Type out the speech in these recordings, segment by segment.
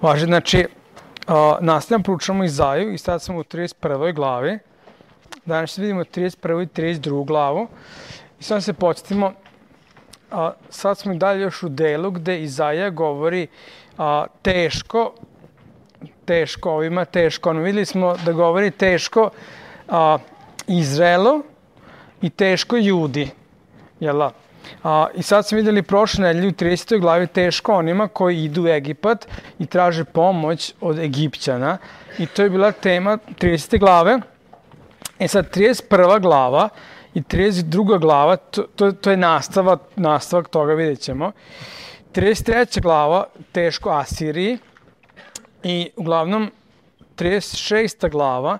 Važi, znači, nastavljam proučavamo Izaju i sad smo u 31. glavi. Danas vidimo 31. i 32. glavu. I sad se podsjetimo, sad smo i dalje još u delu gde Izaja govori teško ovima, teško ono. Videli smo da govori teško Izraelu i teško Judi. Jel' I sad smo videli prošle nedelje u 30. glavi teško onima koji idu u Egipat i traže pomoć od Egipćana. I to je bila tema 30. glave. Sad 31. glava i 32. glava, to je nastavak toga, vidjet ćemo. 33. glava, teško Asiriji. I uglavnom 36. glava,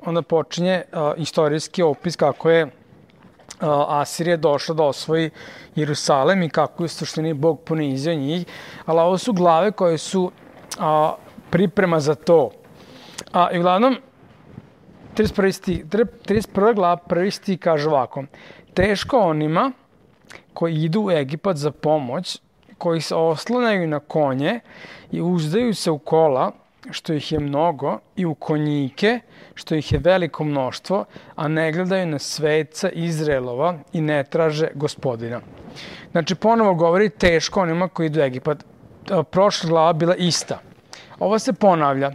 onda počinje istorijski opis kako je Asirija došla da osvoji Jerusalem i kako je u suštini Bog ponizio njih. Ali ovo su glave koje su priprema za to. I uglavnom, 31. glava, prvi stih kaže ovako. Teško onima koji idu u Egipat za pomoć, koji se oslanjaju na konje i uzdaju se u kola, što ih je mnogo, i u konjike, što ih je veliko mnoštvo, a ne gledaju na sveca Izraelova i ne traže Gospodina. Znači, ponovo govori teško onima koji idu u Egipat. Prošla glava bila ista. Ovo se ponavlja.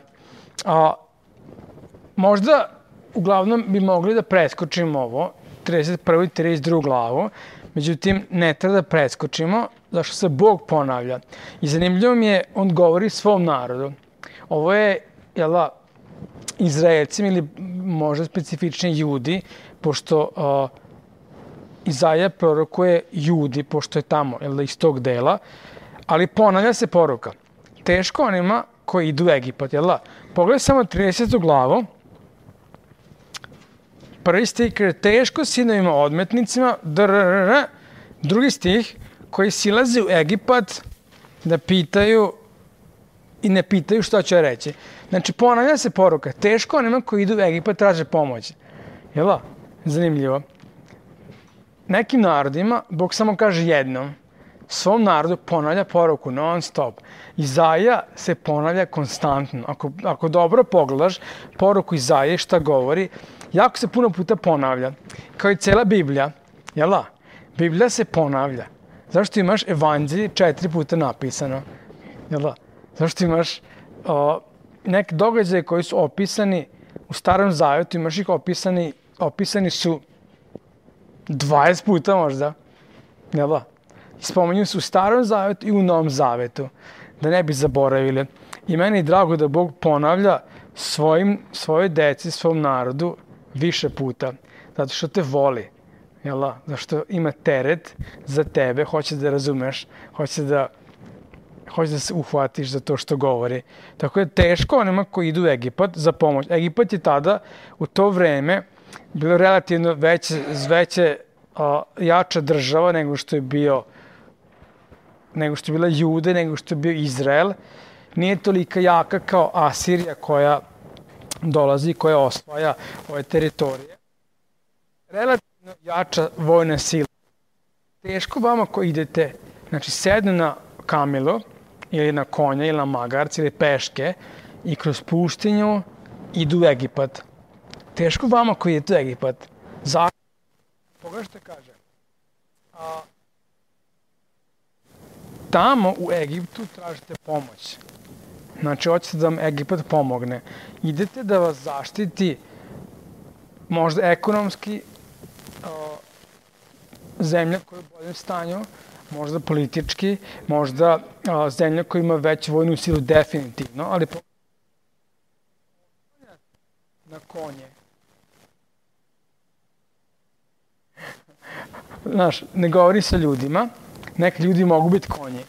Možda, uglavnom, bi mogli da preskočimo ovo, 31. i 32. glavu, međutim, ne treba da preskočimo, zašto se Bog ponavlja. I zanimljivo mi je, on govori svom narodu. Ovo je, Izraelcima ili možda specifični Judi, pošto Izaja prorokuje Judi, pošto je tamo, iz tog dela, ali ponavlja se poruka. Teško onima koji idu u Egipat, Pogledaj samo 30. glavu, prvi stih kaže teško sinovima odmetnicima, drugi stih koji silaze u Egipat da pitaju i ne pitaju šta će reći. Znači, ponavlja se poruka. Teško onima koji idu u Egipat traže pomoć. Zanimljivo. Nekim narodima, Bog samo kaže jednom, svom narodu ponavlja poruku non stop. Izaja se ponavlja konstantno. Ako dobro pogledaš poruku Izaje šta govori, jako se puno puta ponavlja. Kao i cela Biblija, Biblija se ponavlja. Zašto imaš evanđelje 4 puta napisano? Zašto imaš neke događaje koji su opisani u Starom Zavetu, imaš ih opisani su 20 puta možda. Spomenju se u Starom Zavetu i u Novom Zavetu, da ne bi zaboravili. I meni je drago da Bog ponavlja svojoj deci, svom narodu više puta, zato što te voli. Zašto ima teret za tebe, hoće da razumeš, hoće da se uhvatiš za to što govori. Tako je teško onima koji idu u Egipat za pomoć. Egipat je tada, u to vreme, bilo relativno veće jača država nego što je bila Jude, nego što je bio Izrael. Nije tolika jaka kao Asirija koja dolazi, koja osvaja ove teritorije. Relativno jača vojna sila. Teško vama koji idete, znači sednu na kamilu, ili na konja, ili na magarca, ili peške, i kroz pustinju idu u Egipat. Teško vama koji idete u Egipat. Zašto? Pogledaj što kaže. Tamo u Egiptu tražite pomoć. Znači, hoćete da vam Egipat pomogne. Idete da vas zaštiti možda ekonomski zemlja koja je u boljem stanju, možda politički, možda zemlja koja ima veću vojnu silu definitivno, ali na konje. Znaš, ne govori sa ljudima, neki ljudi mogu biti konji,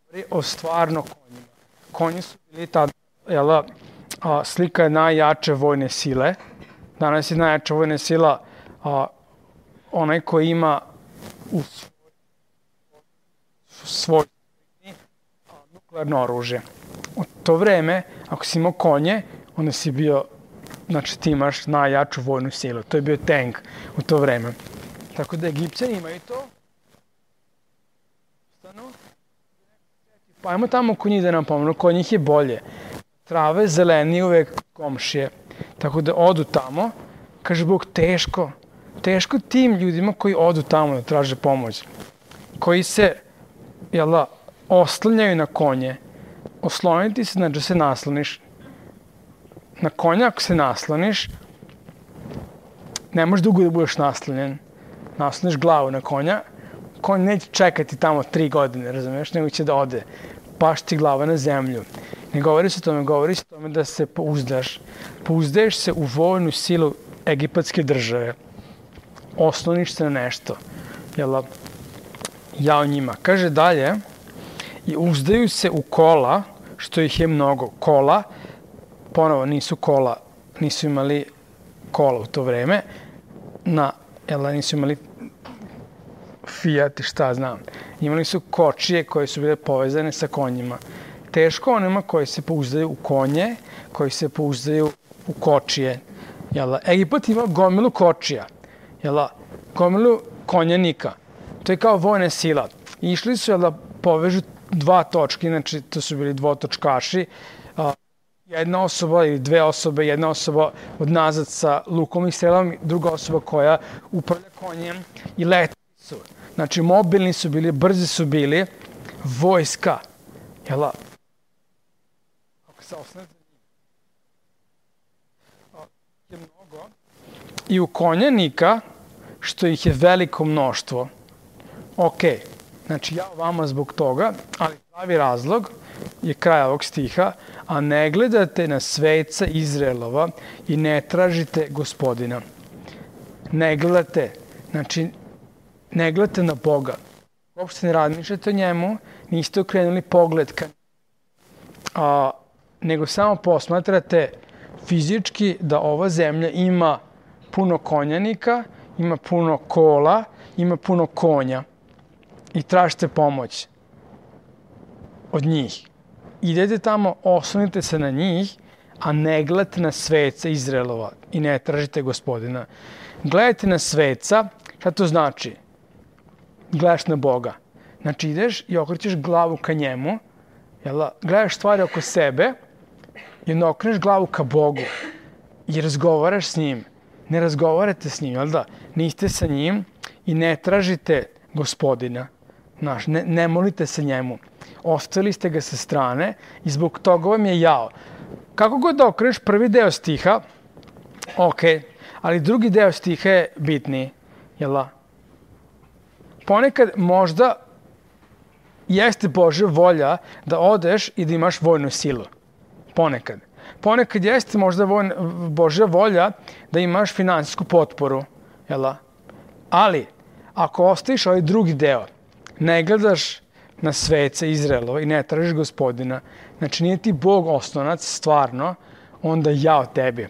govori o stvarno konjima. Konji su bili tada, slika je najjače vojne sile. Danas je najjača vojna sila onaj koji ima u svoj nuklearno oružje. U to vreme, ako si imao konje, onda si bio, znači ti imaš najjaču vojnu silu. To je bio tank u to vreme. Tako da Egipćani imaju to. Pa ajmo tamo kod njih da nam pomenu, kod njih je bolje. Trave zeleni uvek komšije. Tako da odu tamo, kaže Bog, teško. Teško tim ljudima koji odu tamo da traže pomoć. Koji se, oslanjaju na konje. Osloniti se, znači da se nasloniš. Na konja ako se nasloniš, ne možeš dugo da budeš naslonjen. Nasloniš glavu na konja, konj neće čekati tamo 3 godine, razumiješ, nego će da ode. Paš ti glava na zemlju. Ne govori se o tome, govori se o tome da se pouzdaš. Pouzdaješ se u vojnu silu egipatske države. Osloniš se na nešto. Ja o njima. Kaže dalje, i uzdaju se u kola, što ih je mnogo. Kola, ponovo nisu kola, nisu imali kola u to vreme, nisu imali Fiat i šta znam. Imali su kočije koje su bile povezane sa konjima. Teško onima koji se pouzdaju u konje, koji se pouzdaju u kočije. Egipat ima gomilu kočija, gomilu konjanika. To je kao vojna sila. Išli su da povežu 2 točke, znači to su bili dvotočkaši, jedna osoba ili 2 osobe, jedna osoba od nazad sa lukom i strelom, druga osoba koja upravlja konjem i leti su. Znači, mobilni su bili, brzi su bili, vojska. Ako se osnovne za njih. Je mnogo. I u konjanika, što ih je veliko mnoštvo. Znači, ja vama zbog toga, ali pravi razlog je kraj ovog stiha, a ne gledate na sveca Izraelova i ne tražite Gospodina. Ne gledate, znači, ne gledate na Boga. Uopšte ne razmišljate o njemu, niste okrenuli pogled nego samo posmatrate fizički da ova zemlja ima puno konjanika, ima puno kola, ima puno konja i tražite pomoć od njih. Idete tamo, oslonite se na njih, a ne gledate na sveca Izraelova i ne tražite Gospodina. Gledajte na sveca, šta to znači? Gledaš na Boga. Znači ideš i okrećeš glavu ka njemu, gledaš stvari oko sebe i onda okreneš glavu ka Bogu i razgovaraš s njim. Ne razgovarate s njim, niste sa njim i ne tražite Gospodina. Ne molite se njemu. Ostavili ste ga sa strane i zbog toga vam je jao. Kako god da okreneš prvi deo stiha, ali drugi deo stiha je bitniji. Ponekad možda jeste Božja volja da odeš i da imaš vojnu silu. Ponekad. Ponekad jeste možda Božja volja da imaš finansijsku potporu. Ali, ako ostaviš ovaj drugi deo, ne gledaš na sveca Izraelova i ne tražiš Gospodina, znači nije ti Bog oslonac stvarno, onda jao tebi.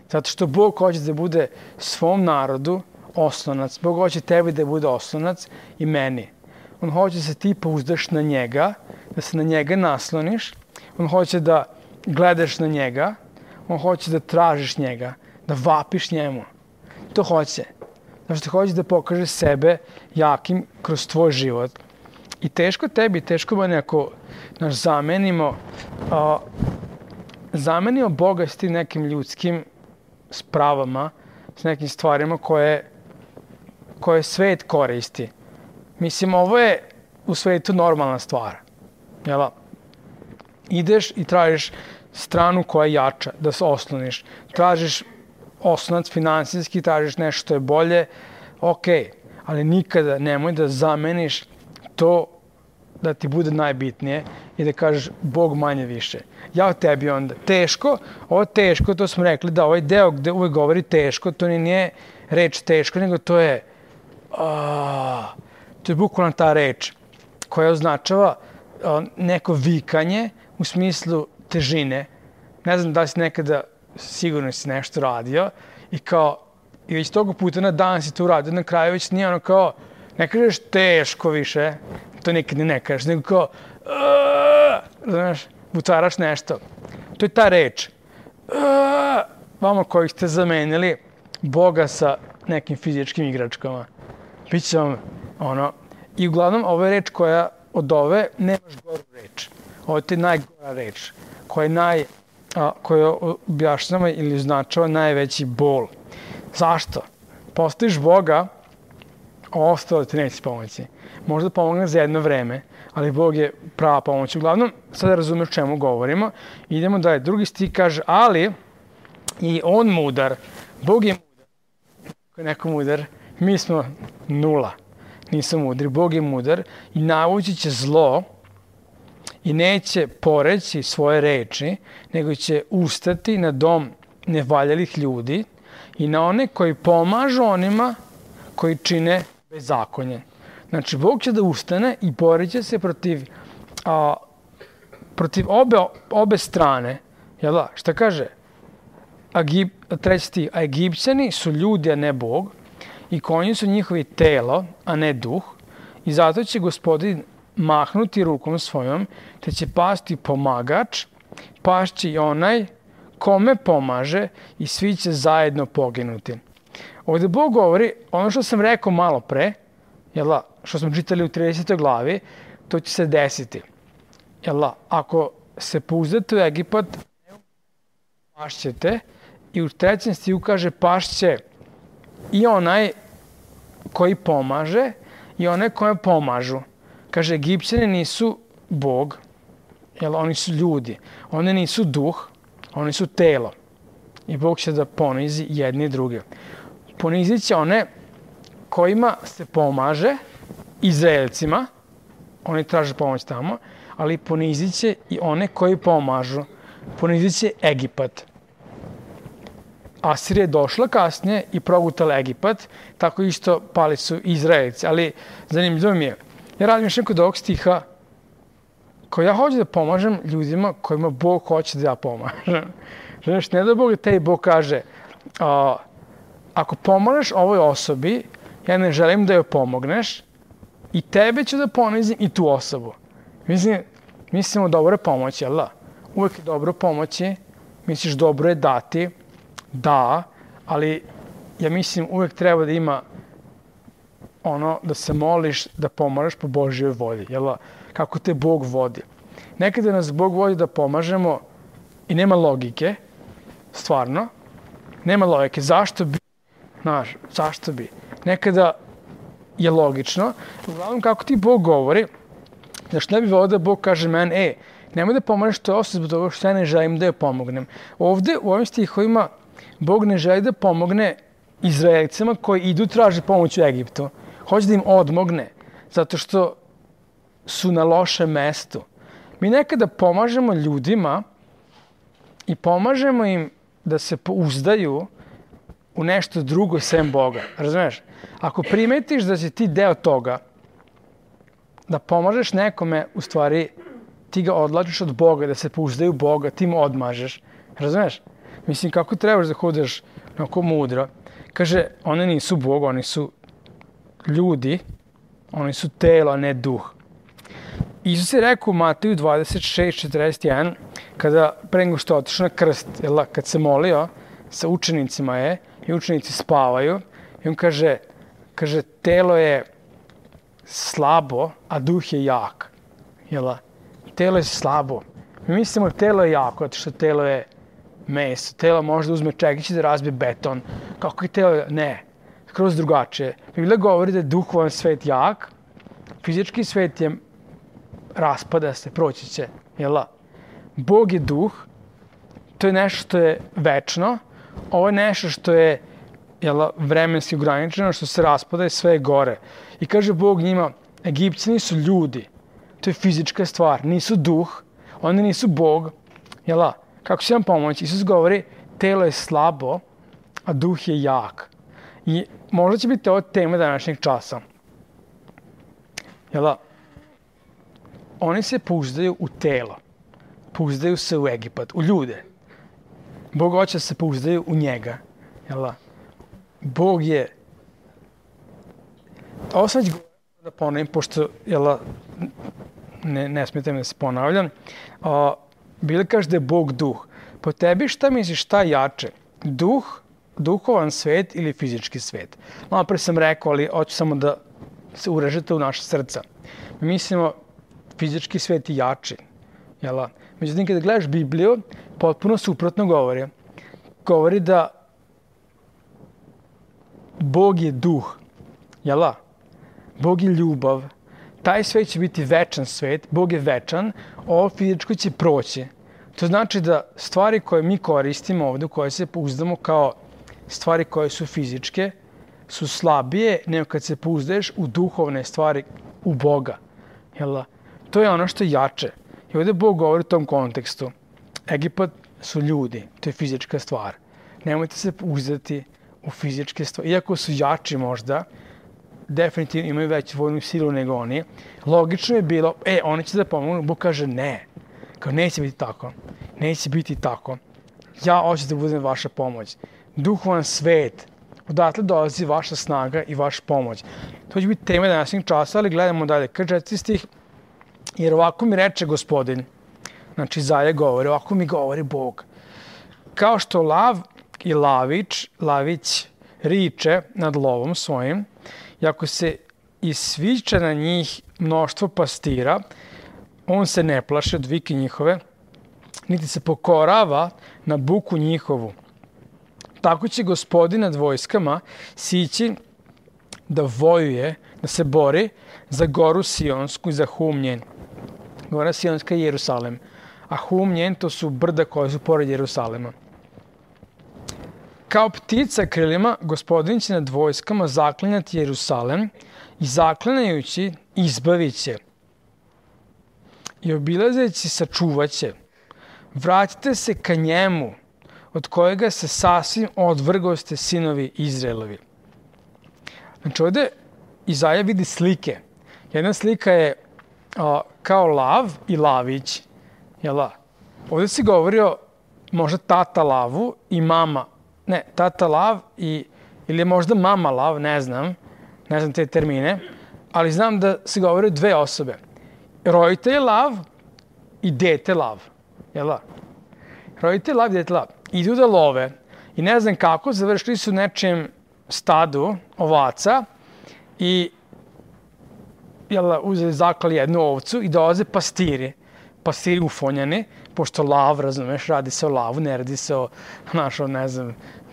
Zato što Bog hoće da bude svom narodu oslonac. Bog hoće tebi da bude oslonac i meni. On hoće da se ti pouzdaš na njega, da se na njega nasloniš. On hoće da gledaš na njega. On hoće da tražiš njega, da vapiš njemu. To hoće. Zato što hoće da pokaže sebe jakim kroz tvoj život. I teško tebi, teško mene ako zamenimo Boga s tim nekim ljudskim spravama, s nekim stvarima koje svet koristi. Mislim, ovo je u svetu normalna stvar. Ideš i tražiš stranu koja je jača, da se osloniš. Tražiš oslonac finansijski, tražiš nešto što je bolje, ali nikada nemoj da zameniš to da ti bude najbitnije i da kažeš Bog manje više. Ja o tebi onda. Teško, ovo teško, to smo rekli, da ovaj deo gde uvek govori teško, to nije reč teško, nego to je bukvalno ta reč koja označava neko vikanje u smislu težine. Ne znam da li si nekada, sigurno si nešto radio i već toga puta na dan si to uradio, na kraju već nije ono kao, ne kažeš teško više, to nikad ne kažeš, nego kao, znaš, utaraš nešto. To je ta reč. Vama koji ste zamenili Boga sa nekim fizičkim igračkama. Biće vam i uglavnom, ovo je reč koja od ove nemaš goru reč. Ovo je najgora reč koja objašnjava ili označava najveći bol. Zašto? Postojiš Boga, a ostalo ti neće pomoći. Možda pomogne za jedno vreme, ali Bog je prava pomoć. Uglavnom, sada razumeš čemu govorimo. Idemo dalje. Drugi stih kaže, ali i on mudar. Bog je mudar. Ako je neko mudar, mi smo nula. Nismo mudri. Bog je mudar i navući će zlo i neće poreći svoje reči, nego će ustati na dom nevaljalih ljudi i na one koji pomažu onima koji čine bezakonje. Znači, Bog će da ustane i borit će se protiv obe strane. Jel da? Šta kaže? Treći stih, a Egipćani su ljudi, a ne Bog, i konji su njihovi telo, a ne duh, i zato će Gospodin mahnuti rukom svojom, te će pasti pomagač, pašće i onaj kome pomaže i svi će zajedno poginuti. Ovdje Bog govori, ono što sam rekao malo pre, jel da, što smo čitali u 30. glavi, to će se desiti. Jel da, ako se pouzdate u Egipat, pašćete, i u 3. stihu kaže pašće i onaj koji pomaže i one koje pomažu. Kaže, Egipćani nisu Bog, jel, oni su ljudi. Oni nisu duh, oni su telo. I Bog će da ponizi jedni i druge. Ponizit će one kojima se pomaže, Izraelcima, oni traže pomoć tamo, ali ponizit će i one koji pomažu. Ponizit će Egipat. Asirija je došla kasnije i progutala Egipat, tako isto pali su Izraelci. Ali zanimljivo mi je, ja razmišljam kod ovog stiha, kao ja hoću da pomažem ljudima kojima Bog hoće da ja pomažem. Znaš, ne da Bog tebi Bog kaže, ako pomožeš ovoj osobi, ja ne želim da joj pomogneš i tebe ću da ponizim i tu osobu. Mislimo dobro pomoći, jel da? Uvijek je dobro pomoći, misliš dobro je dati, da, ali ja mislim uvijek treba da ima ono da se moliš da pomažeš po Božjoj volji, jel da? Kako te Bog vodi. Nekada nas Bog vodi da pomažemo i nema logike, stvarno, nema logike. Zašto bi? Znaš, zašto bi? Nekada je logično. Uglavnom, kako ti Bog govori, znaš, ne bi volio da Bog kaže meni, nemoj da pomožeš toj osobi zbog toga što ja ne želim da joj pomognem. Ovde, u ovim stihovima, Bog ne želi da pomogne Izraelcima koji idu traži pomoć u Egiptu. Hoće da im odmogne, zato što su na lošem mestu. Mi nekada pomažemo ljudima i pomažemo im da se pouzdaju u nešto drugo sem Boga. Razumeš? Ako primetiš da si ti deo toga, da pomažeš nekome, u stvari ti ga odlačiš od Boga, da se pouzdaju u Boga, ti mu odmažeš. Razumeš? Mislim, kako trebaš da hodeš onako mudro. Kaže, oni nisu Bog, oni su ljudi, oni su telo, a ne duh. Isus je rekao u Mateju 26:41, kada pre nego što je otišao na krst, kad se molio sa učenicima je, i učenici spavaju, i on kaže, telo je slabo, a duh je jak. Telo je slabo. Mi mislimo telo je jako, zato što telo je meso. Telo može da uzme čekić da razbije beton. Kako je telo? Ne. Skroz drugačije. Biblia govori da je duhovan svet jak, fizički svet je raspada se, proći će. Bog je duh, to je nešto što je večno, ovo je nešto što je vremenski ograničeno, što se raspada i sve je gore. I kaže Bog njima, Egipćani su ljudi, to je fizička stvar, nisu duh, oni nisu Bog. Kako će vam pomoći? Isus govori, telo je slabo, a duh je jak. I možda će biti ovo tema današnjeg časa. Oni se pouzdaju u telo, pouzdaju se u Egipat, u ljude. Bog hoće da se pouzdaju u njega. Bog je... Ovo sam već da ponovim, pošto ne smijete mi da se ponavljam. Biblia kaže da je Bog duh. Po tebi šta misliš, šta je jače? Duhovan svet ili fizički svet? Malo pre sam rekao, ali hoću samo da se urežete u naše srca. Mi mislimo fizički svet je jači. Jel? Međutim, kada gledaš Bibliju, potpuno suprotno govori. Govori da Bog je duh. Jel? Bog je ljubav. Taj svet će biti večan svet. Bog je večan. Ovo fizičko će proći. To znači da stvari koje mi koristimo ovdje, koje se pouzdamo kao stvari koje su fizičke, su slabije nego kad se pouzdaješ u duhovne stvari, u Boga. Jel? To je ono što je jače. I ovdje Bog govori u tom kontekstu. Egipat su ljudi, to je fizička stvar. Nemojte se pouzdati u fizičke stvari. Iako su jači možda, definitivno imaju veću vojnu silu nego oni. Logično je bilo, oni će da pomognu. Bog kaže ne. Kao neće biti tako. Neće biti tako. Ja hoću da budem vaša pomoć. Duhovan svet. Odatle dolazi vaša snaga i vaša pomoć. To će biti tema današnjeg časa, ali gledamo dalje. Kaže 4. stih. Jer ovako mi reče Gospodin. Znači Izaja govori, ovako mi govori Bog. Kao što lav i lavić riče nad lovom svojim, i ako se isviče na njih mnoštvo pastira, on se ne plaše od vike njihove, niti se pokorava na buku njihovu. Tako će Gospodin nad vojskama sići da vojuje, da se bori za goru Sionsku i za Humnjen. Gora Sionska je Jerusalem, a Humnjen to su brda koje su pored Jerusalema. Kao ptica krilima, Gospodin će nad vojskama zaklinjati Jerusalem i zaklinjajući izbavit će i obilazeći sačuvat će. Vratite se ka njemu, od kojega se sasvim odvrgoste sinovi Izraelovi. Znači ovdje Izaja vidi slike. Jedna slika je kao lav i lavić. Jel? Ovdje si govorio možda tata lavu i mama. Ne, tata lav ili je možda mama lav, ne znam te termine, ali znam da se govore dve osobe. Roditelj lav i dete lav. Jel? Roditelj lav i dete lav. Idu da love i ne znam kako, završili su nečijem stadu ovaca i uzeli zaklali jednu ovcu i dolaze pastiri ufonjani, pošto lav, razumeš, radi se o lavu, ne radi se o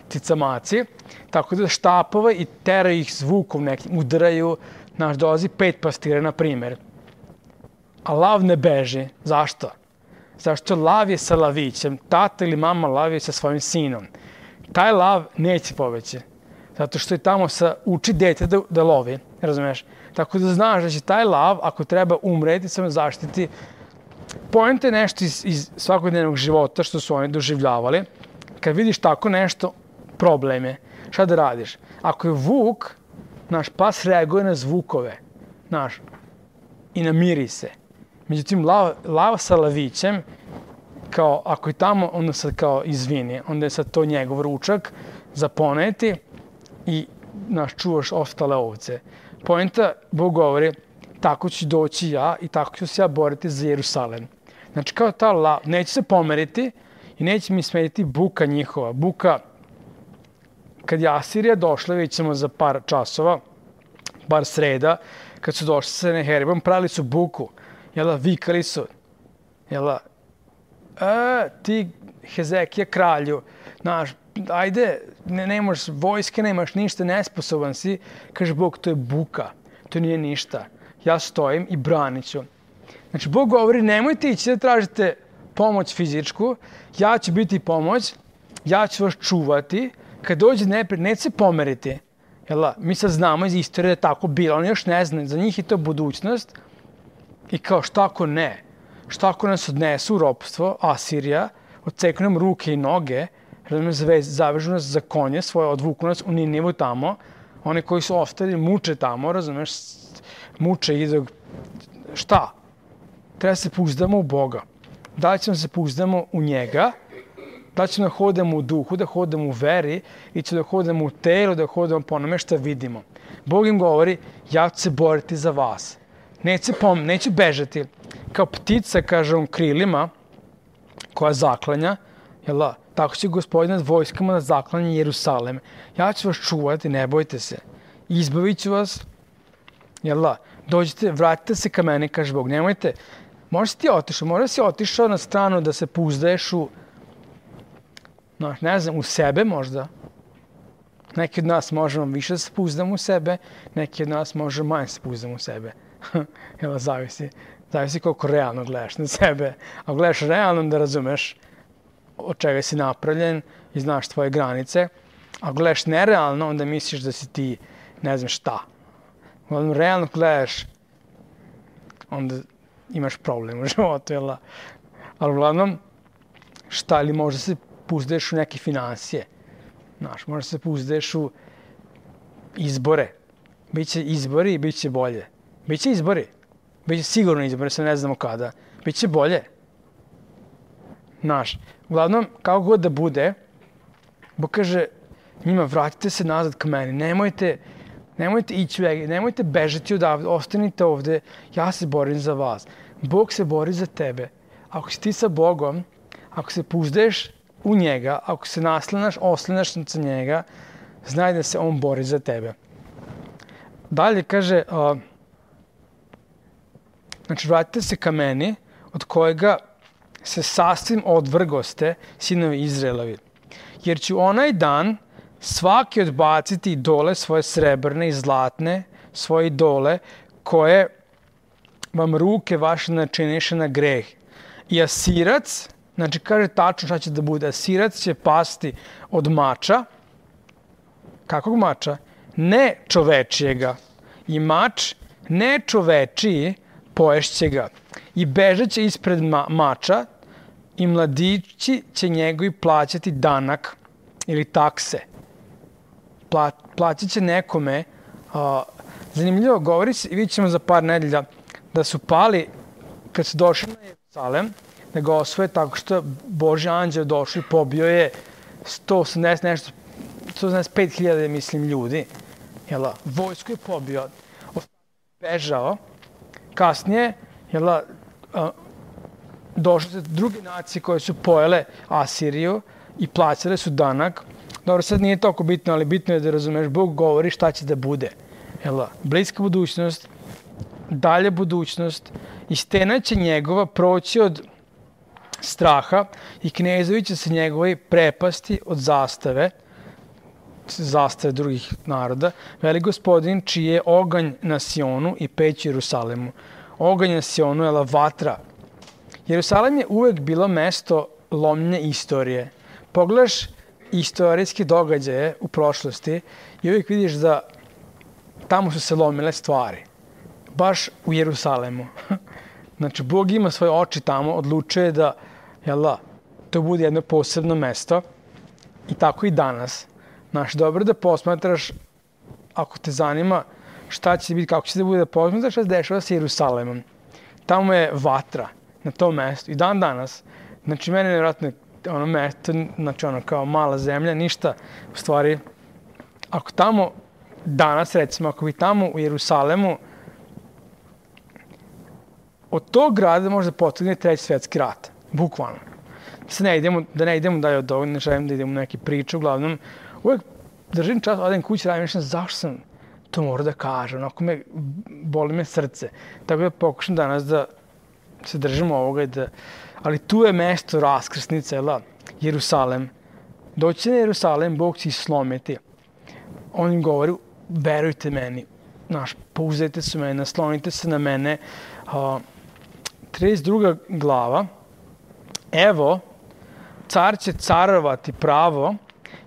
pticamaci, tako da štapove i teraju ih zvukom nekim, udaraju, dolazi 5 pastira, na primjer. A lav ne beži. Zašto? Zašto lav je sa lavićem, tata ili mama lav je sa svojim sinom. Taj lav neće pobeći, zato što je tamo uči dete da lovi, razumeš? Tako da znaš da će taj lav, ako treba umreti, samo zaštiti. Poenta je nešto iz svakodnevnog života što su oni doživljavali. Kad vidiš tako nešto, problem je. Šta da radiš? Ako je vuk, naš pas reaguje na zvukove, i namiri se. Međutim, lav sa lavićem, kao ako je tamo, onda sad kao izvini, onda je sad to njegov ručak za poneti i čuvaš ostale ovce. Poenta, Bog govori, tako ću doći ja i tako ću se ja boriti za Jerusalem. Znači, kao ta lav, neće se pomeriti i neće mi smetiti buka njihova. Buka, kad je Asirija došla, vidjet ćemo za par časova, par sreda, kad su došli sa Seneheribom, pravili su buku. Vikali su. Ti Hezekija kralju, ajde, nemaš vojske, nemaš ništa, nesposoban si. Kaže Bog, to je buka, to nije ništa. Ja stojim i branit ću. Znači, Bog govori, nemojte ići da tražite pomoć fizičku, ja ću biti pomoć, ja ću vas čuvati, kad dođe neprijatelj, neće se pomeriti. Mi sad znamo iz istorije da je tako bilo, oni još ne znaju, za njih je to budućnost. I kao, šta ako ne? Šta ako nas odnesu u ropstvo, Asirija, odseku nam ruke i noge, zavežu nas za konje svoje, odvuku nas u Ninivu tamo, oni koji su ostali muče tamo, razumeš, muče i šta? Treba se pouzdamo u Boga. Da li ćemo se pouzdamo u njega, da li ćemo da hodamo u duhu, da hodamo u veri, i ćemo da hodamo u telu, da hodamo po onome što vidimo. Bog im govori, ja ću se boriti za vas. Neću bežati. Kao ptica, kaže on, krilima, koja zaklanja, tako će Gospodin nad vojskama da zaklanja Jerusalem. Ja ću vas čuvati, ne bojte se. Izbavit ću vas. Dođite, vratite se ka meni, kaže Bog. Nemojte, možda si otišao na stranu da se pouzdaješ u, ne znam, u sebe možda. Neki od nas možemo više da se pouzdamo u sebe, neki od nas može manje da se pouzdamo u sebe. Jel, zavisi koliko realno gledaš na sebe. Ako gledaš realno da razumeš od čega si napravljen i znaš tvoje granice. Ako gledaš nerealno, onda misliš da si ti ne znam šta. Uglavnom, realno gledaš, onda imaš problem u životu, jel? Ali uglavnom, šta, ili možda se pouzdaješ u neke finansije. Znaš, možda se pouzdaješ u izbore. Biće izbori i bit će bolje. Biće izbori. Biće sigurno izbori, sad ne znamo kada. Biće bolje. Znaš, uglavnom, kako god da bude, Bog kaže njima, vratite se nazad k meni. Nemojte ići u Egipat, nemojte bežati odavde, ostanite ovde, ja se borim za vas. Bog se bori za tebe. Ako si ti sa Bogom, ako se pouzdaješ u njega, ako se oslanaš na njega, znaj da se on bori za tebe. Dalje kaže, znači vratite se ka meni, od kojega se sasvim odvrgoste, sinovi Izraelovi. Jer ću onaj dan svaki odbaciti idole svoje srebrne i zlatne, svoje idole, koje vam ruke vaše načiniše na greh. I Asirac, znači kaže tačno šta će da bude, Asirac će pasti od mača. Kakvog mača? Ne čovečijega. I mač ne čovečiji poješće ga. I bežat će ispred mača i mladići će njegovi plaćati danak ili takse. Plaćat će nekome. Zanimljivo govori se, i vidjet ćemo za par nedelja, da su pali, kad su došli na Jerusalem, da ga osvoje tako što Božji anđeo došao i pobio je 185.000, mislim, ljudi. Jela, vojsku je pobio, bežao. Kasnije, došle se druge nacije koje su pojele Asiriju i plaćale su danak. Dobro, sad nije toliko bitno, ali bitno je da razumeš, Bog govori šta će da bude. Bliska budućnost, dalje budućnost, i stena će njegova proći od straha i knezovi će se njegovi prepasti od zastave drugih naroda, veli Gospodin čiji je oganj na Sionu i peć Jerusalemu. Oganj na Sionu je vatra. Jerusalim je uvek bilo mesto lomljenja istorije. Pogledaš istorijske događaje u prošlosti i uvijek vidiš da tamo su se lomile stvari. Baš u Jerusalemu. Znači, Bog ima svoje oči tamo, odlučuje da to bude jedno posebno mesto i tako i danas. Znači, dobro da posmatraš, ako te zanima šta će biti, kako će da bude, da posmatraš šta se dešava sa Jerusalemom. Tamo je vatra na tom mestu i dan danas. Znači, meni je nevjerojatno ono mesto, znači ono kao mala zemlja, ništa. U stvari, ako tamo danas, recimo, ako bi tamo u Jerusalemu, od tog grada može da potegne Treći svjetski rat. Bukvalno. Da ne idemo dalje od toga, ne želim da idemo u neke priče, uglavnom, uvek držim čas, odem kući, radim nešto, zašto sam to morao da kažem, onako boli me srce. Tako da pokušam danas da se držimo ovoga, ali tu je mesto raskrsnice, Jerusalem. Doći na Jerusalem, Bog će ih slomiti. On im govori, verujte meni, pouzdajte se u mene, naslonite se na mene. 32. glava, evo, car će carovati pravo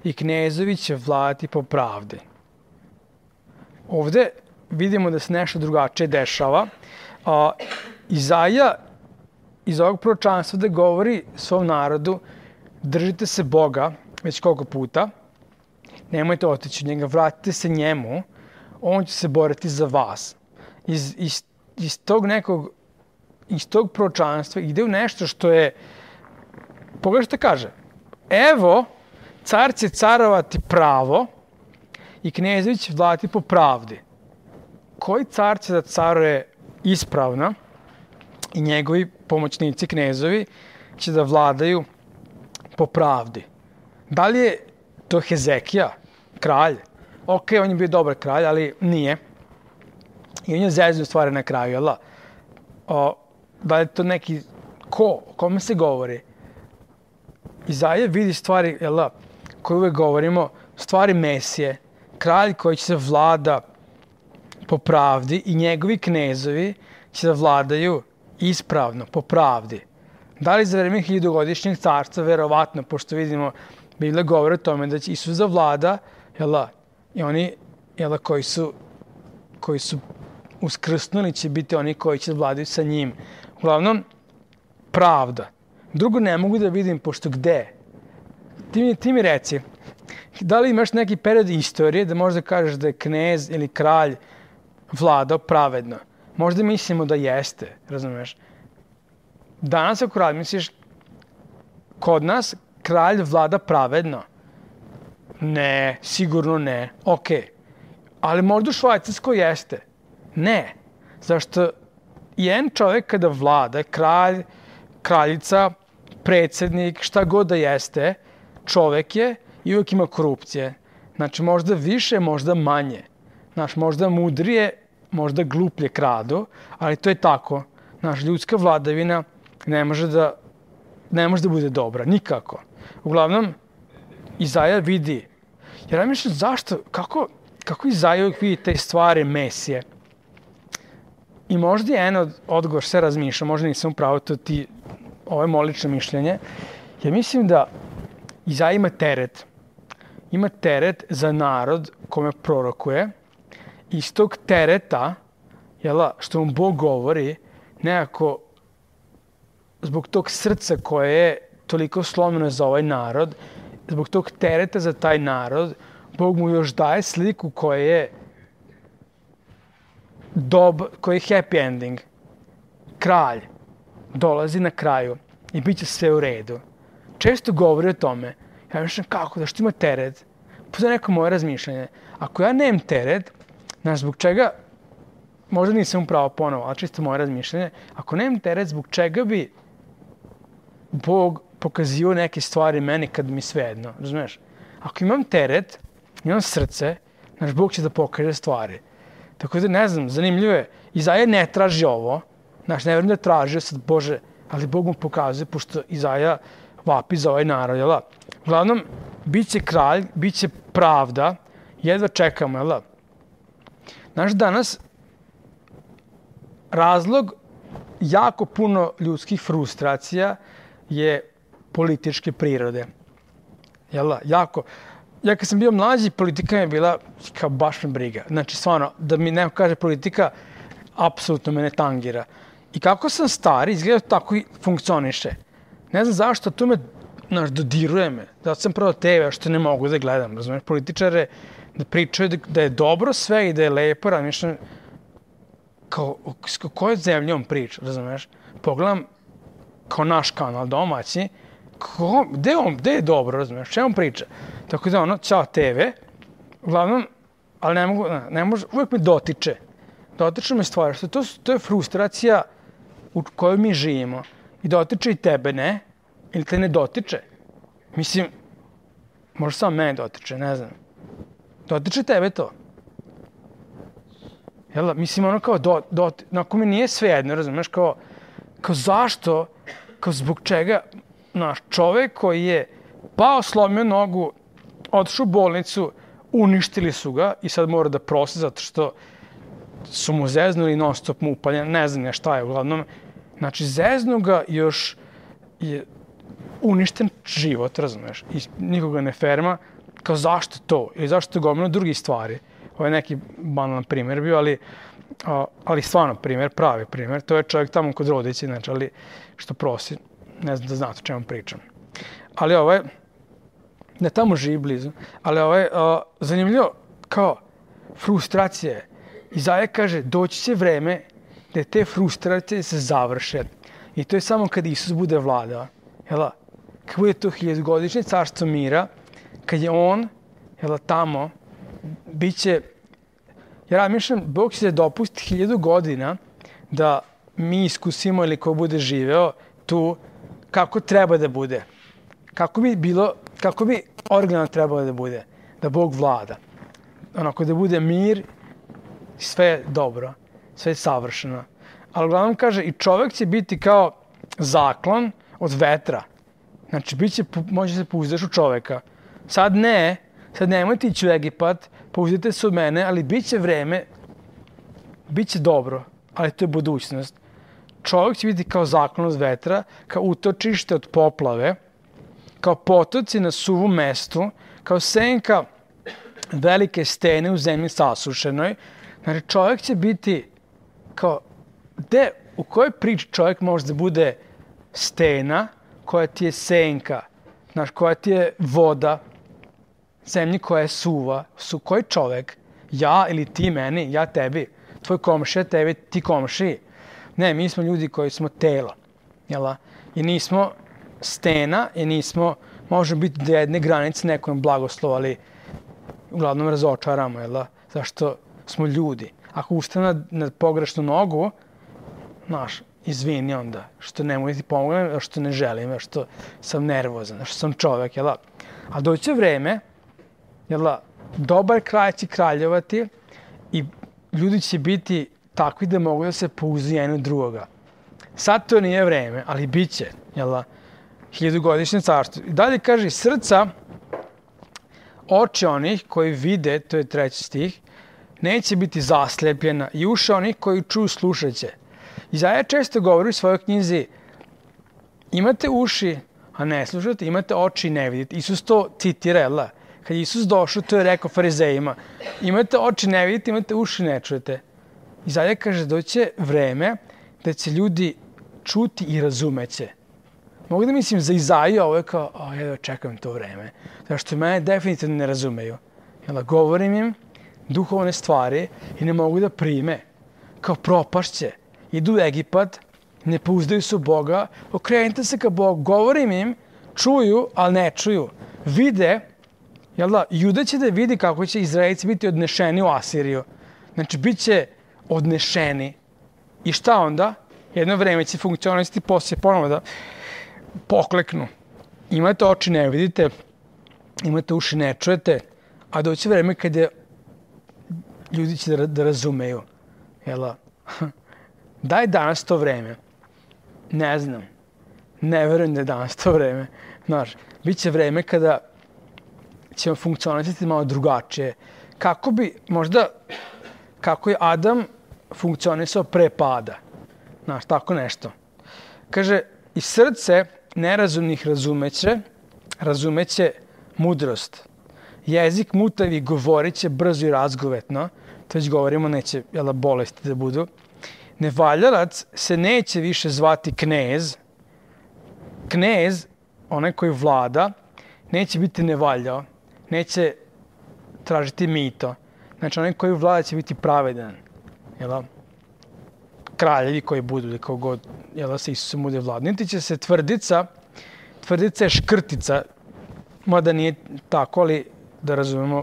i knezovi će vladati po pravdi. Ovde vidimo da se nešto drugačije dešava. Izaija iz ovog proročanstva da govori svom narodu, držite se Boga već koliko puta, nemojte otići od njega, vratite se njemu, on će se boriti za vas. Iz tog proročanstva ide u nešto što je, pogledaj što kaže, evo, car će carovati pravo i knezovi će vladati po pravdi. Koji car će da caruje ispravno i njegovi pomoćnici, knezovi, će da vladaju po pravdi? Da li je to Hezekija, kralj? Ok, on je bio dobar kralj, ali nije. I on je zeznuo stvari na kraju, da je to neki o kome se govori. Izaja vidi stvari, koje uvek govorimo, stvari Mesije, kralj koji će se vlada po pravdi i njegovi knezovi će da vladaju ispravno, po pravdi. Da li za vreme 1000-godišnjeg carstva, verovatno, pošto vidimo, Biblija govori o tome da će Isus da vlada, i oni, koji su uskrsnuli će biti oni koji će da vladaju sa njim. Uglavnom, pravda. Drugo ne mogu da vidim, pošto gde? Ti mi reci, da li imaš neki period istorije da možda kažeš da je knez ili kralj vladao pravedno? Možda mislimo da jeste, razumeš? Danas ako razmisliš, kod nas kralj vlada pravedno? Ne, sigurno ne. Okej. Ali možda u Švajcarskoj jeste? Ne. Zašto jedan čovjek kada vlada, kralj, kraljica, predsjednik, šta god da jeste, čovjek je i uvijek ima korupcije. Znači možda više, možda manje. Znači možda mudrije, možda gluplje kradu, ali to je tako. Naša ljudska vladavina ne može da bude dobra, nikako. Uglavnom, Izaja vidi. Jer ja mislim, zašto, kako Izaja uvijek vidi te stvari Mesije? I možda je jedan odgovor, sve razmišljam, možda nisam upravo ovo je moje lično mišljenje. Ja mislim da Izaja ima teret. Ima teret za narod kome prorokuje. I iz tog tereta, što mu Bog govori, nekako zbog tog srca koje je toliko slomljeno za ovaj narod, zbog tog tereta za taj narod, Bog mu još daje sliku koja je koji je happy ending. Kralj dolazi na kraju i bit će sve u redu. Često govori o tome. Ja mislim kako, zašto ima teret? To je neko moje razmišljanje. Ako ja nemam teret, zbog čega, možda nisam upravo ponovo, ali čisto moje razmišljanje, ako nemam teret, zbog čega bi Bog pokazio neke stvari meni kad mi svejedno, razumiješ? Ako imam teret, imam srce, Bog će da pokaže stvari. Tako da, ne znam, zanimljivo je. Izaja ne traži ovo. Ne vjerujem da je tražio sad, Bože, ali Bog mu pokazuje, pošto Izaja vapi za ovaj narod, Uglavnom, bit će kralj, bit će pravda, jedva čekamo, danas razlog jako puno ljudskih frustracija je političke prirode. Jako. Ja kad sam bio mlađi, politika mi je bila kao baš me briga. Znači, stvarno, da mi neko kaže politika, apsolutno me ne tangira. I kako sam stari, izgleda tako i funkcioniše. Ne znam zašto, to me, dodiruje me. Zato sam pravo TV, što ne mogu da gledam, razumiješ, političare da pričaju da je dobro sve i da je lepo, razmišljam, kao, o kojoj zemlji on priča, razumiješ? Pogledam kao naš kanal domaći, gde je dobro, razumiješ, što on priča? Tako da ćao TV, uglavnom, ali ne može, uvijek me dotiče. Dotiče me stvari, što to je frustracija u kojoj mi živimo. I dotiče i tebe, ne? Ili te ne dotiče? Mislim, možda samo mene dotiče, ne znam. Dotiče tebe to? Mislim, kao ako mi nije svejedno, razumiješ, kao zašto, kao zbog čega, naš čovek koji je pao, slomio nogu, otišao u bolnicu, uništili su ga i sad mora da prosi zato što su mu zeznuli non stop mu upaljen, ne znam ja šta je uglavnom. Znači, zeznu ga još je uništen život, razumiješ, i nikoga ne ferma, kao zašto to, ili zašto to gomilo drugih stvari. Ovo je neki banalan primjer bio, ali stvarno primjer, pravi primjer. To je čovjek tamo kod rodici, znači, ali što prosi, ne znam da znate o čemu pričam. Ali ovo je, ne tamo živi blizu, ali ovo je zanimljivo kao frustracije. Izaja kaže, doći će vreme da te frustracije se završe. I to je samo kad Isus bude vladao. Kad bude to 1000-godišnje carstvo mira, kad je on, tamo, bit će, ja razmišljam, Bog će se dopustiti 1000 godina da mi iskusimo ili ko bude živeo tu kako treba da bude. Kako bi originalno trebalo da bude. Da Bog vlada. Da bude mir, sve je dobro, sve je savršeno. Ali uglavnom kaže, i čovek će biti kao zaklon od vetra. Znači, može se pouzdaš u čoveka. Sad nemojte ići u Egipat, pouzdajte se u mene, ali bit će vreme, bit će dobro, ali to je budućnost. Čovjek će biti kao zaklon od vetra, kao utočište od poplave, kao potoci na suvom mestu, kao senka velike stene u zemlji sasušenoj. Znači, čovjek će biti kao, u kojoj priči čovjek može da bude stena, koja ti je senka, znaš, koja ti je voda, zemlji koja je suva, koji čovjek, ja ili ti meni, ja tebi, tvoj komšija tebi, ti komšiji. Ne, mi smo ljudi koji smo telo, jel? I nismo stena, i nismo, možemo biti do jedne granice nekom blagoslova, ali uglavnom razočaramo, jel? Zašto smo ljudi. Ako ustane na pogrešnu nogu, znaš, izvini onda, što ne mogu ti pomognem, što ne želim, što sam nervozan, što sam čovjek, jel? A doće vreme, jel, dobar kraj će kraljevati i ljudi će biti takvi da mogu da se pouzdaju jedno drugoga. Sad to nije vreme, ali bit će, jel, 1000-godišnje carstvo. I dalje kaže, srca, oči onih koji vide, to je 3. stih, neće biti zaslepljena i uši onih koji čuju slušat će. Izaja često govori u svojoj knjizi, imate uši, a ne slušate, imate oči i ne vidite. Isus to citira, jel? Kad je Isus došao, to je rekao farizejima. Imate oči, ne vidite, imate uši, ne čujete. Izaja kaže, doće vreme da će ljudi čuti i razumeće. Mogu da mislim za Izaju, ovo je kao, ja čekam to vreme. Zato što mene definitivno ne razumeju. Jel, govorim im duhovne stvari i ne mogu da prime. Kao propašće. Idu u Egipat, ne pouzdaju se u Boga, okrenite se ka Bogu, govorim im, čuju, ali ne čuju. Vide, jel da, Juda će da vidi kako će Izraelci biti odnešeni u Asiriju. Znači, bit će odnešeni. I šta onda? Jedno vreme će funkcionisati, poslije ponovo da pokleknu. Imate oči, ne vidite, imate uši, ne čujete, a doće vreme kada ljudi će da razumeju. Jel da? Da je danas to vreme? Ne znam. Ne verujem da je danas to vreme. Znaš, bit će vreme kada ćemo funkcionisati malo drugačije. Kako je Adam funkcionisao pre pada. Znaš, tako nešto. Kaže, i srce nerazumnih razumeće mudrost. Jezik mutavi govorit će brzo i razgovetno. To već govorimo, neće bolesti da budu. Nevaljalac se neće više zvati knez. Knez, onaj koji vlada, neće biti nevaljao. Neće tražiti mito. Znači, onaj koji vlada će biti pravedan. Jel? Kraljevi koji budu, kao god, jel, se Isusom bude vlada. Niti će se tvrdica je škrtica, mada nije tako, ali da razumemo,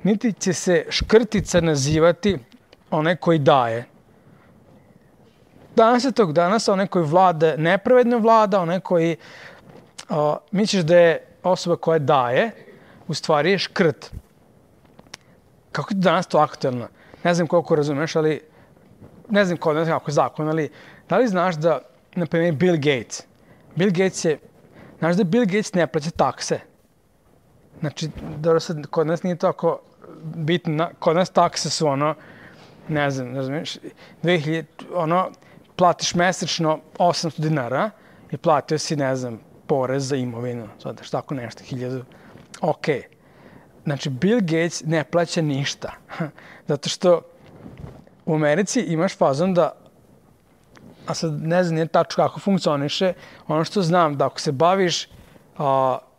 niti će se škrtica nazivati onaj koji daje. Danas je tog danas, onaj koji vlada, nepravedno vlada, onaj koji misliš da je osoba koja daje, u stvari je škrt. Kako je danas to aktualno? Ne znam koliko razumeš, ali ne znam kod nas kako je zakon, ali da li znaš da, na primjer, Bill Gates znaš da Bill Gates ne plaća takse? Znači, dobro sad, kod nas nije to ako bitno, kod nas takse su ne znam, razumiješ, 2000, platiš mesečno 800 dinara i platio si, ne znam, porez za imovinu, znaš, tako nešto, 1000. Ok. Znači, Bill Gates ne plaća ništa. Zato što u Americi imaš fazon da, a sad ne znam, nije tačno kako funkcioniše, ono što znam, da ako se baviš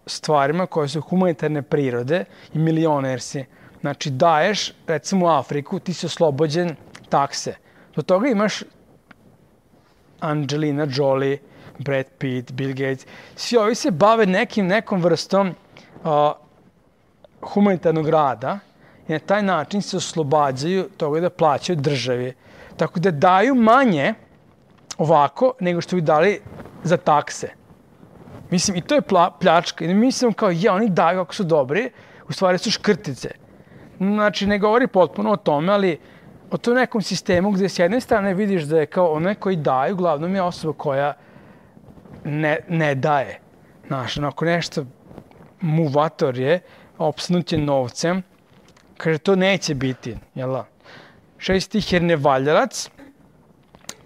stvarima koje su humanitarne prirode i milioner si, znači daješ, recimo u Afriku, ti si oslobođen takse. Do toga imaš Angelina Jolie, Brad Pitt, Bill Gates, svi ovi se bave nekom vrstom humanitarnog rada i na taj način se oslobađaju toga da plaćaju državi. Tako da daju manje ovako nego što bi dali za takse. Mislim, i to je pljačka. I mislim kao, oni daju ako su dobri, u stvari su škrtice. Znači, ne govori potpuno o tome, ali o tom nekom sistemu gde s jedne strane vidiš da je kao one koji daju, uglavnom je osoba koja ne daje. Znaš, onako nešto muvator je, opsnut je novcem, kaže to neće biti, jel da? 6 stih jer nevaljalac,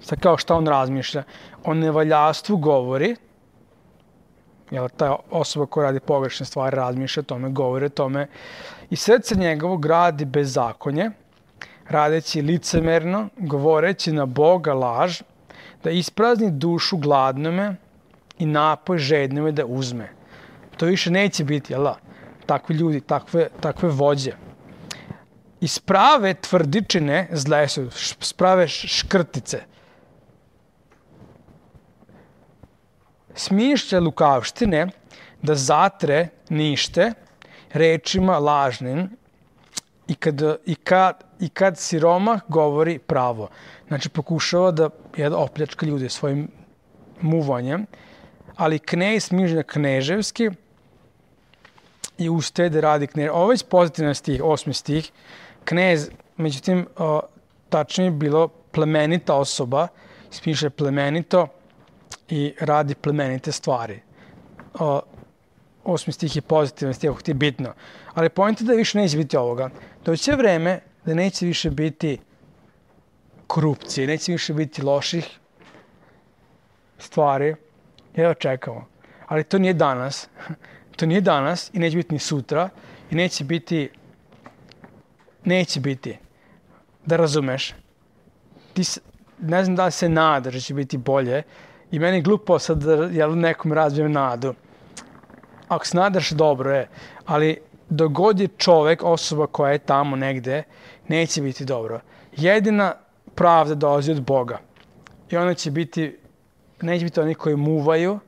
sad kao šta on razmišlja, o nevaljastvu govori, jel, ta osoba koja radi pogrešne stvari razmišlja o tome, govori o tome i srce njegovog radi bezakonje, radeći licemerno, govoreći na Boga laž, da isprazni dušu gladnome i napoj žednome da uzme. To više neće biti, jel da? Takvi ljudi, takve vođe. Iz prave tvrdičine zle su, sprave škrtice. Smišlja lukavštine da zatre nište rečima lažnim i kad siromah govori pravo. Znači pokušava da opljačka ljude svojim muvanjem, ali knej smišlja kneževski i ustaje da radi knez. Ovo je pozitivan stih, 8. stih. Knez, međutim, tačnije bilo plemenita osoba, smišlja plemenito i radi plemenite stvari. 8. stih je pozitivan stih, ako ti je bitno. Ali pojenta da više neće biti ovoga. Doće vreme da neće više biti korupcije, neće više biti loših stvari. Evo čekamo. Ali to nije danas. To nije danas i neće biti ni sutra i neće biti. Da razumeš. Ti ne znam da li se nadaš da će biti bolje i meni je glupo sad da nekom razbijem nadu. Ako se nadaš, dobro je, ali dok god je čovek, osoba koja je tamo negde, neće biti dobro. Jedina pravda dolazi od Boga. I ona će biti, neće biti oni koji muvaju,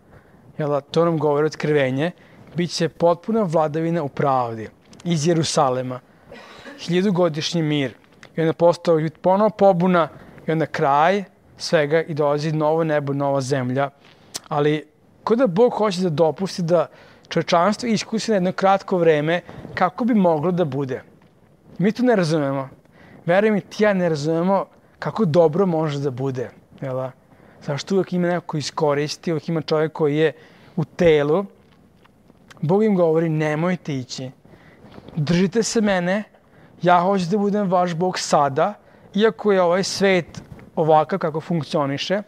jel, to nam govori otkrivenje, bit će potpuna vladavina u pravdi iz Jerusalema. 1000-godišnji mir. I onda postao ponovo pobuna i onda kraj svega i dolazi novo nebo, nova zemlja. Ali ko da Bog hoće da dopusti da čovječanstvo iskusi na jedno kratko vreme kako bi moglo da bude. Mi to ne razumemo. Veruj mi, ti ja ne razumemo kako dobro može da bude. Jel? Zašto uvijek ima neko koji iskoristi, uvijek ima čovjek koji je u telu. Bog im govori, nemojte ići. Držite se mene, ja hoću da budem vaš Bog sada, iako je ovaj svet ovakav kako funkcioniše.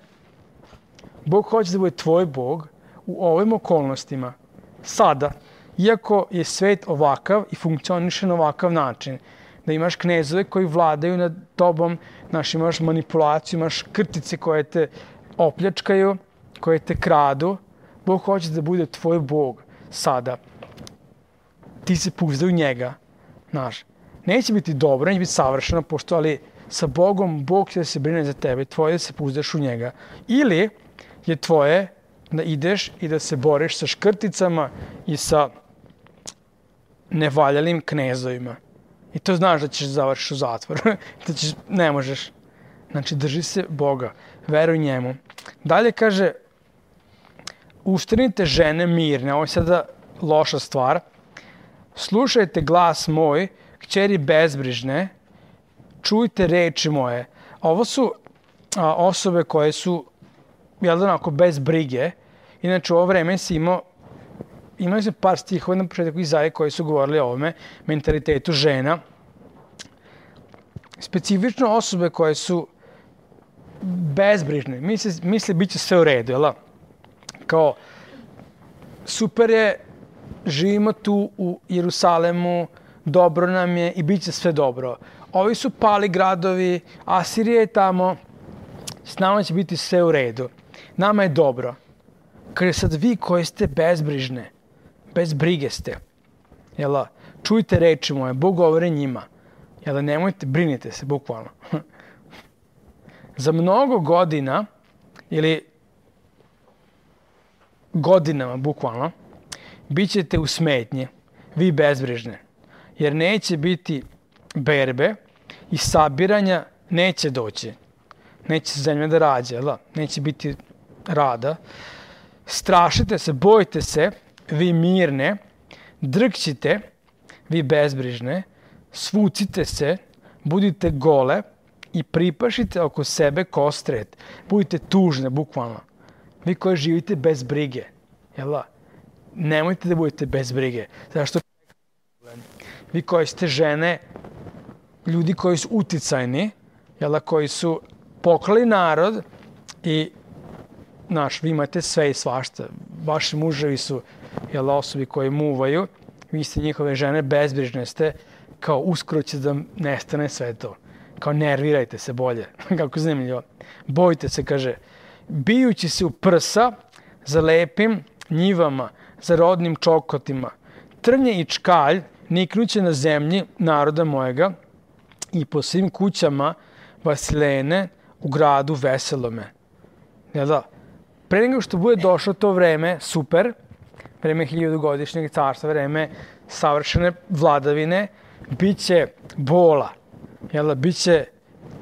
Bog hoće da bude tvoj Bog u ovim okolnostima. Sada, iako je svet ovakav i funkcioniše na ovakav način, da imaš knezove koji vladaju nad tobom, imaš manipulaciju, imaš krtice koje te opljačkaju, koje te kradu, Bog hoće da bude tvoj Bog sada. Ti se puzdaj u njega, znaš. Neće biti dobro, neće biti savršeno, pošto ali sa Bogom, Bog će da se brine za tebe, tvoje da se puzdaš u njega. Ili je tvoje da ideš i da se boriš sa škrticama i sa nevaljalim knezovima. I to znaš da ćeš završiš u zatvor. Ne možeš. Znači, drži se Boga. Veruj njemu. Dalje kaže, ustanite žene mirne. Ovo je sada loša stvar. Slušajte glas moj, kćeri bezbrižne, čujte reči moje. Ovo su osobe koje su, onako, bez brige. Inače, u ovo vreme si imali se par stihova na početku Izaije koji su govorili o ovome, mentalitetu žena. Specifično osobe koje su bezbrižne. Misle bit će sve u redu, jel? Kao, super je, živimo tu u Jerusalemu, dobro nam je i bit će sve dobro. Ovi su pali gradovi, Asirija je tamo, s nama će biti sve u redu. Nama je dobro. Kaže sad vi koji ste bezbrižne, bez brige ste, jel? Čujte reči moje, Bog govori njima. Jel, nemojte, brinite se, bukvalno. Za mnogo godina, ili godinama, bukvalno, bit ćete u smetnji, vi bezbrižne, jer neće biti berbe i sabiranja neće doći. Neće se zemlja da rađe, jel? Neće biti rada. Strašite se, bojte se, vi mirne, drkćite, vi bezbrižne, svucite se, budite gole, i pripašite oko sebe kostret. Budite tužne, bukvalno. Vi koji živite bez brige. Jel da? Nemojte da budete bez brige. Zašto? Vi koji ste žene, ljudi koji su uticajni, jel da, koji su pokrali narod i vi imate sve i svašta. Vaši muževi su, jel da, osobi koji muvaju, vi ste njihove žene, bezbrižne ste, kao uskoro će da nestane sve to. Kao nervirajte se bolje. Kako zanimljivo. Bojite se, kaže, bijući se u prsa za lepim njivama, za rodnim čokotima. Trnje i čkalj niknuće na zemlji naroda mojega i po svim kućama vasilene u gradu veselome. Jel da? Pre nego što bude došlo to vreme, super, vreme 1000-godišnjeg carstva, vreme savršene vladavine, bit će bola, jel da? Bit će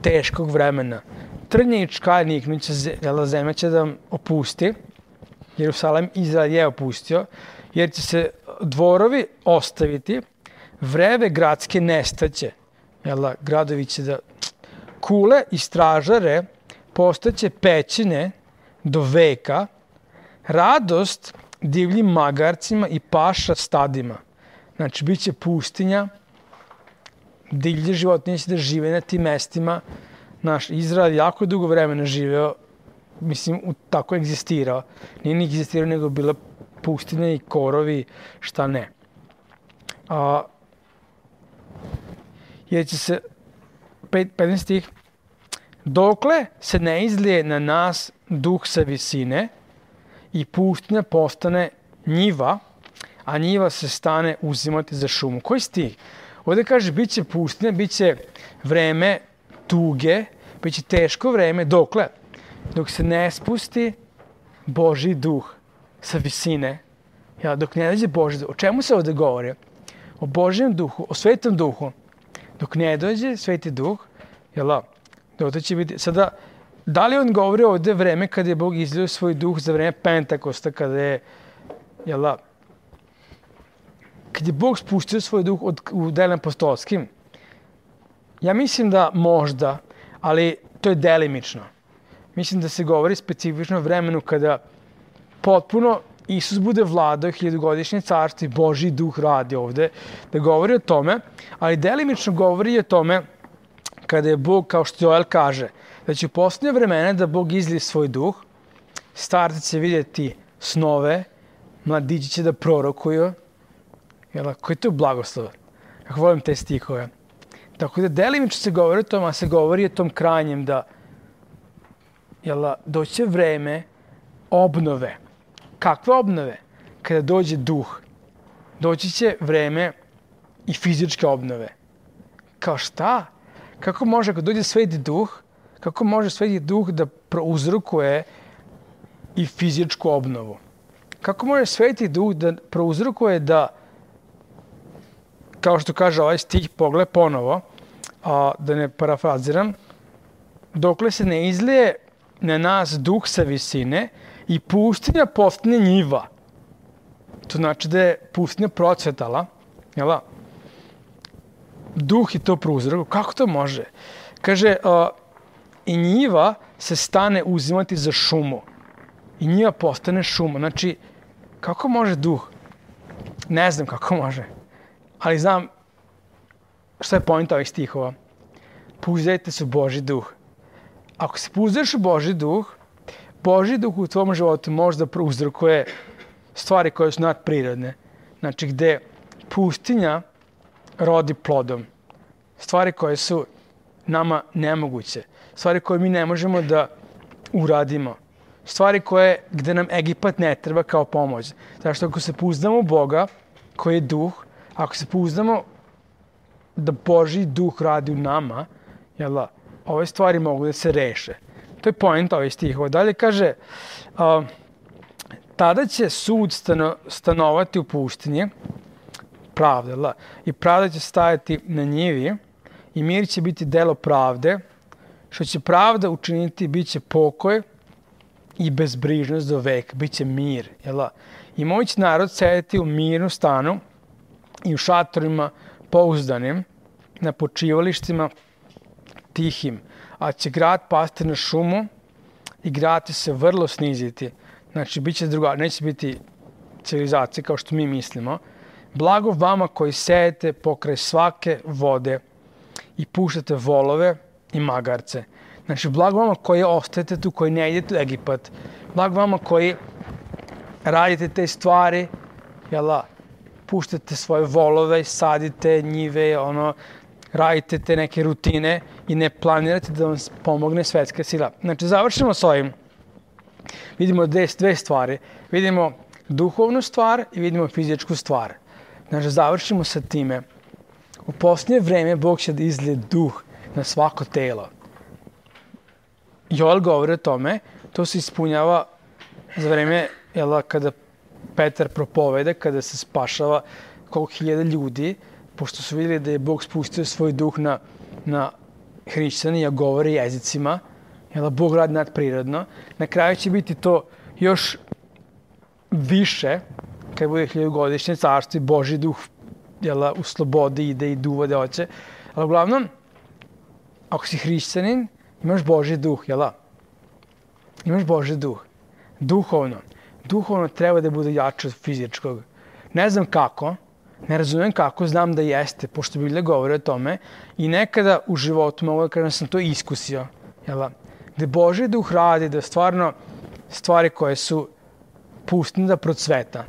teškog vremena. Trnje i čkalj niknuće, jel da, zemlja će da opusti, Jerusalim Izrael je opustio, jer će se dvorovi ostaviti, vreve gradske nestaće, jel da, gradovi će da... Kule i stražare postaće pećine do veka, radost divljim magarcima i paša stadima. Znači, bit će pustinja, divlje životinje će da žive na tim mestima. Naš Izrael jako dugo vremena živeo, mislim, tako egzistirao. Nije ni egzistirao, nego bila pustinja i korovi, šta ne. Jer će se, 15 stih, dokle se ne izlije na nas duh sa visine i pustinja postane njiva, a njiva se stane uzimati za šumu. Koji stih? Ovdje kaže, bit će pustinja, bit će vreme tuge, bit će teško vreme, dokle? Dok se ne spusti Božji duh sa visine, ja, dok ne dođe Božji duh. O čemu se ovdje govori? O Božjem duhu, o Svetom duhu. Dok ne dođe Sveti duh, jel, dotle će biti... Sada, da li on govori ovdje vreme kada je Bog izlio svoj duh za vreme Pentakosta, kada je, jel, kad je Bog spustio svoj duh u delima apostolskim? Ja mislim da možda, ali to je delimično. Mislim da se govori specifično o vremenu kada potpuno Isus bude vladao 1000-godišnje carstvo i Božji duh radi ovde, da govori o tome, ali delimično govori o tome kada je Bog, kao što Joel kaže, da će u posljednje vremena da Bog izlije svoj duh, starci će vidjeti snove, mladići će da prorokuju. Jel, koji je to blagoslov? Ja volim te stihove. Tako da delimično se govori o tom, a se govori o tom krajnjem da, jel, doći će vreme obnove. Kakve obnove? Kada dođe duh. Doći će vreme i fizičke obnove. Kao šta? Kako može, ako dođe Sveti duh, kako može Sveti duh da prouzrokuje i fizičku obnovu? Kako može Sveti duh da prouzrokuje da, kao što kaže ovaj stih, pogled ponovo, da ne parafraziram, dokle se ne izlije na nas duh sa visine i pustinja postane njiva. To znači da je pustinja procvetala, jel? Duh je to prouzrokovao. Kako to može? Kaže, i njiva se stane uzimati za šumu. I njiva postane šuma. Znači, kako može duh? Ne znam kako može. Ali znam šta je pojenta ovih stihova. Pouzdajte se u Božji duh. Ako se pouzdaješ u Božji duh u tvom životu može da prouzrokuje stvari koje su nadprirodne. Znači, gde pustinja rodi plodom. Stvari koje su nama nemoguće. Stvari koje mi ne možemo da uradimo. Stvari gde nam Egipat ne treba kao pomoć. Zašto ako se pouzdamo u Boga, koji je duh, ako se pouzdamo da Božji duh radi u nama, jel, ove stvari mogu da se reše. To je poenta ovih stihova. Dalje kaže, tada će sud stanovati u pustinji, pravda, i pravda će stajati na njivi i mir će biti delo pravde, što će pravda učiniti, bit će pokoj i bezbrižnost do veka, bit će mir. Jel? I moj će narod sedeti u mirnu stanu i u šatorima pouzdanim, na počivalištima tihim. a će grad pasti na šumu i grad će se vrlo sniziti. Znači, bit će drugačije, neće biti civilizacije kao što mi mislimo. Blago vama koji sejete pokraj svake vode i puštate volove i magarce. Znači, blago vama koji ostajete tu, koji ne idete u Egipat. Blago vama koji radite te stvari, puštate svoje volove, sadite njive, radite te neke rutine i ne planirate da vam pomogne svetska sila. Znači, završimo s ovim. Vidimo dve stvari. Vidimo duhovnu stvar i vidimo fizičku stvar. Znači, završimo sa time. U posljednje vreme Bog će da izlije duh na svako telo. Joel govori o tome, to se ispunjava za vreme kada Petar propovede, kada se spašava koliko hiljada ljudi, pošto su vidjeli da je Bog spustio svoj duh na hrišćane, govori jezicima, Bog radi nadprirodno. Na kraju će biti to još više, kad bude 1000-godišnje carstvo i Božji duh u slobodi ide i duva gde hoće. Ali uglavnom, ako si hrišćanin, imaš Božji duh, Imaš Božji duh. Duhovno. Duhovno treba da bude jače od fizičkog. Ne znam kako, ne razumem kako, znam da jeste, pošto Biblija govori o tome i nekada u životu mogu da kažem da sam to iskusio. Gde Božji duh radi da stvarno stvari koje su pustne da procveta.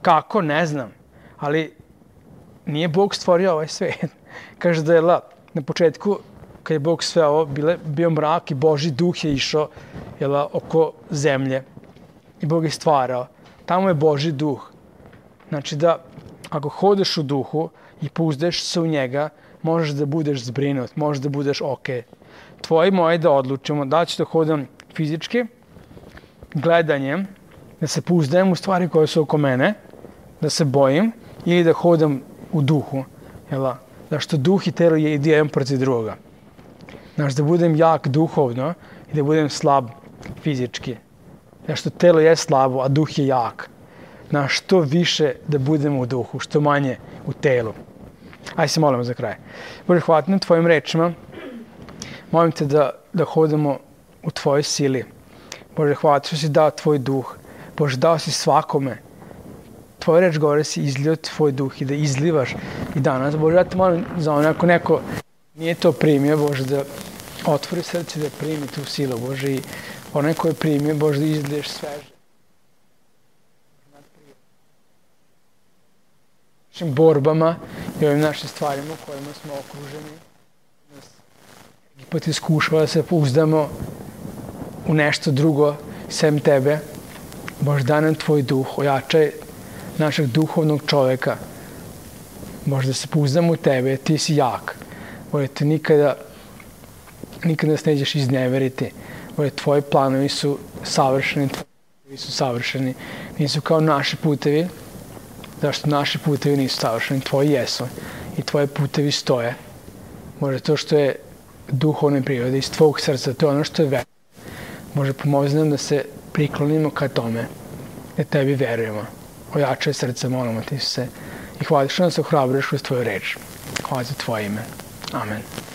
Kako, ne znam, ali nije Bog stvorio ovaj svet. Kaže da je na početku, kad je Bog sve ovo, bio mrak i Božji duh je išao oko zemlje i Bog je stvarao. Tamo je Božji duh. Znači da ako hodeš u duhu i puzdeš se u njega, možeš da budeš zbrinut, možeš da budeš okej. Tvoje i moje da odlučimo da ću da hodam fizički, gledanjem, da se puzdajem u stvari koje su oko mene, da se bojim ili da hodam u duhu. Zašto duh i telo je jedan protiv drugoga. Znači da budem jak duhovno i da budem slab fizički. Zašto telo je slabo, a duh je jak. Znači što više da budemo u duhu, što manje u telu. Ajde se molimo za kraj. Bože, hvala ti na tvojim rečima. Molim te da hodamo u tvojoj sili. Bože, hvala ti što si dao tvoj duh. Bože, dao si svakome. Tvoja reč govori da si izlio tvoj duh i da izlivaš i danas. Bože, ja te molim za ono, ako neko nije to primio, Bože, da otvori srce da primi tu silu, Bože, i onaj ko je primio, Bože, da izliješ sveže. Našim borbama i ovim našim stvarima u kojima smo okruženi. Egipat iskušava da se pouzdamo u nešto drugo sem tebe. Bože, daj nam tvoj duh, ojačaj našeg duhovnog čoveka. Bože, da se pouzdamo u tebe, ti si jak. Bože, te nikada nas nećeš izneveriti. Bože, tvoji planovi su savršeni, tvoji putevi su savršeni. Nisu kao naši putevi, zašto naši putevi nisu savršeni, tvoji jesu i tvoji putevi stoje. Bože, to što je duhovne prirode iz tvojeg srca, to je ono što je verno. Bože, pomozi nam da se priklonimo ka tome, da tebi verujemo. Ojačaj srce, molimo ti se. I hvala što nam se ohrabruješ kroz tvoju reč. Hvala za tvoje ime. Amen.